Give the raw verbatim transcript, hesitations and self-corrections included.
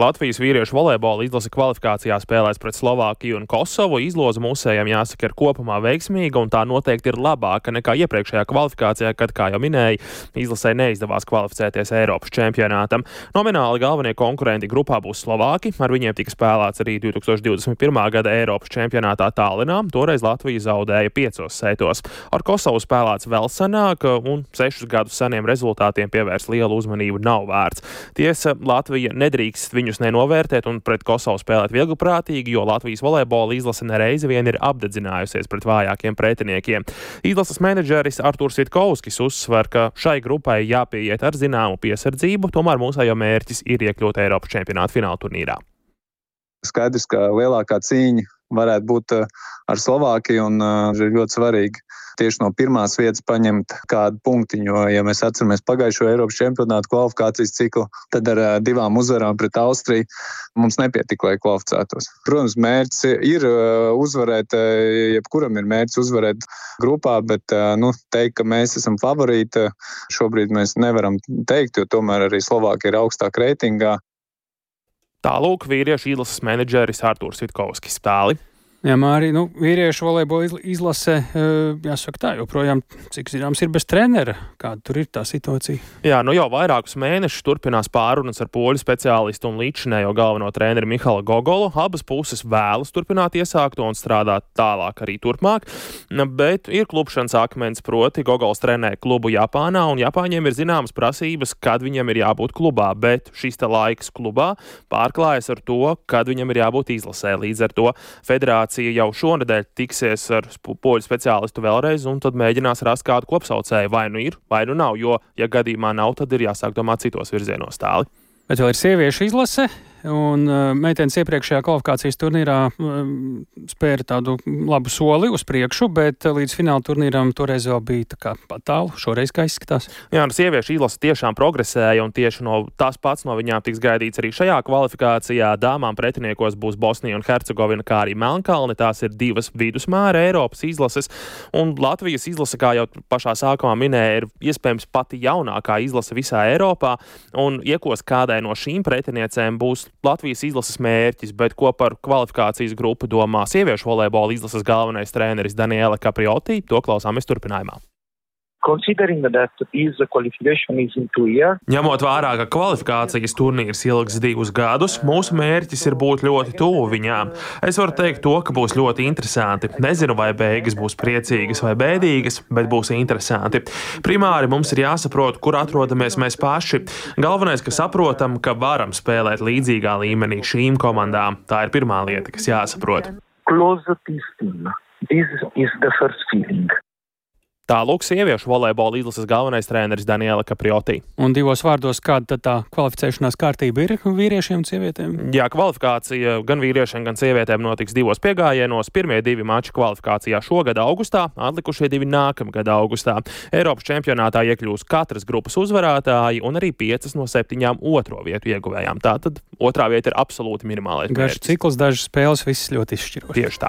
Latvijas vīriešu volejbola izlase kvalifikācijā spēlēs pret Slovākiju un Kosovu. Izloze mūsējiem jāsaka ir kopumā veiksmīga, un tā noteikti ir labāka nekā iepriekšējā kvalifikācijā, kad, kā jau minēja, izlasē neizdevās kvalificēties Eiropas čempionātam. Nomināli galvenie konkurenti grupā būs Slovāki, ar viņiem tika spēlēts arī divi tūkstoši divdesmit pirmā gada Eiropas čempionātā Tallinā. Toreiz Latvija zaudēja piecos sētos. Ar Kosovu spēlēts vēl senāk, un sešus gadus seniem rezultātiem pievērst lielu uzmanību nav vērts. Tiesa, Latvija nedrīkst viņus nenovērtēt un pret Kosovu spēlēt viegliprātīgi, jo Latvijas volejbola izlase nereizi vien ir apdedzinājusies pret vājākiem pretiniekiem. Izlases menedžeris Artūrs Vitkovskis uzsver, ka šai grupai jāpieiet ar zināmu piesardzību, tomēr mūsējo mērķis ir iekļūt Eiropas čempionāta fināla turnīrā. Skaidrs, ka lielākā cīņa varētu būt ar Slovākiju, un uh, ir ļoti svarīgi tieši no pirmās vietas paņemt kādu punktiņu, jo, ja mēs atceramies pagājušo Eiropas čempionātu kvalifikācijas ciklu, tad ar uh, divām uzvarām pret Austriju mums nepietika, lai kvalificētos. Protams, mērķis ir uh, uzvarēt, uh, jebkuram ir mērķis uzvarēt grupā, bet uh, nu, teikt, ka mēs esam favorīti, šobrīd mēs nevaram teikt, jo tomēr arī Slovākija ir augstāk reitingā. Tālūk vīriešu izlases menedžeris Artūrs Vitkovskis. Tāli. Jā, Māri, nu, vīriešu volejbola izlase, jāsaka tā, joprojām, cik zināms, ir bez trenera. Kāda tur ir tā situācija? Jā, nu jau vairākus mēnešus turpinās pārunas ar poļu speciālistu un līdzinējo galveno treneru Mihalu Gogolu. Abas puses vēlas turpināt iesākto un strādāt tālāk arī turpmāk, bet ir klupšanas akmens, proti Gogols trenē klubu Japānā, un Japāņiem ir zināmas prasības, kad viņam ir jābūt klubā, bet šis te laiks klubā pārklājas ar to, kad viņam ir jābūt izlasē. Līdz ar to federācija jau šonedēļ tiksies ar poļu speciālistu vēlreiz un tad mēģinās rast kādu kopsaucēju. Vai nu ir, vai nu nav, jo, ja gadījumā nav, tad ir jāsāk domāt citos virzienos. Tāli. Bet vēl ir sieviešu izlase, un uh, meitenes iepriekšējā kvalifikācijas turnīrā uh, spēra tādu labu soli uz priekšu, bet uh, līdz fināla turnīram toreiz vēl bija tā kā pat tālu, šoreiz kā izskatās. Jā, nu sieviešu izlase tiešām progresēja, un tieši no tās pats no viņām tiks gaidīts arī šajā kvalifikācijā. Dāmām pretiniekos būs Bosnija un Hercegovina, kā arī Melnkalne. Tās ir divas vidusmēra Eiropas izlases, un Latvijas izlase, kā jau pašā sākumā minēja, ir iespējams pati jaunākā izlase visā Eiropā, un iekos kādai no šīm pretiniecēm būs Latvijas izlases mērķis, bet ko par kvalifikācijas grupu domā sieviešu volejbola izlases galvenais treneris Daniela Caprioti, to klausāmies turpinājumā. Ņemot vērā, ka kvalifikācijas turnīrs ilgs divus gadus, mūsu mērķis ir būt ļoti tuvu viņām. Es varu teikt to, ka būs ļoti interesanti. Nezinu, vai beigas būs priecīgas vai bēdīgas, bet būs interesanti. Primāri mums ir jāsaprot, kur atrodamies mēs paši. Galvenais, ka saprotam, ka varam spēlēt līdzīgā līmenī šīm komandām. Tā ir pirmā lieta, kas jāsaprot. Tālūk sieviešu volejbola izlases galvenais treneris Daniela Caprioti. Un divos vārdos, kāda tad tā kvalificēšanās kārtība ir vīriešiem un sievietēm? Jā, kvalifikācija gan vīriešiem, gan sievietēm notiks divos piegājienos. Pirmie divi mači kvalifikācijā šogad augustā, atlikušie divi nākamgad augustā. Eiropas čempionātā iekļūs katras grupas uzvarētāji un arī piecas no septiņām otro vietu ieguvējām. Tātad otrā vieta ir absolūti minimālais mērķis. Garš cikls, dažas spēles, viss ļoti izšķiroši. Tieši tā.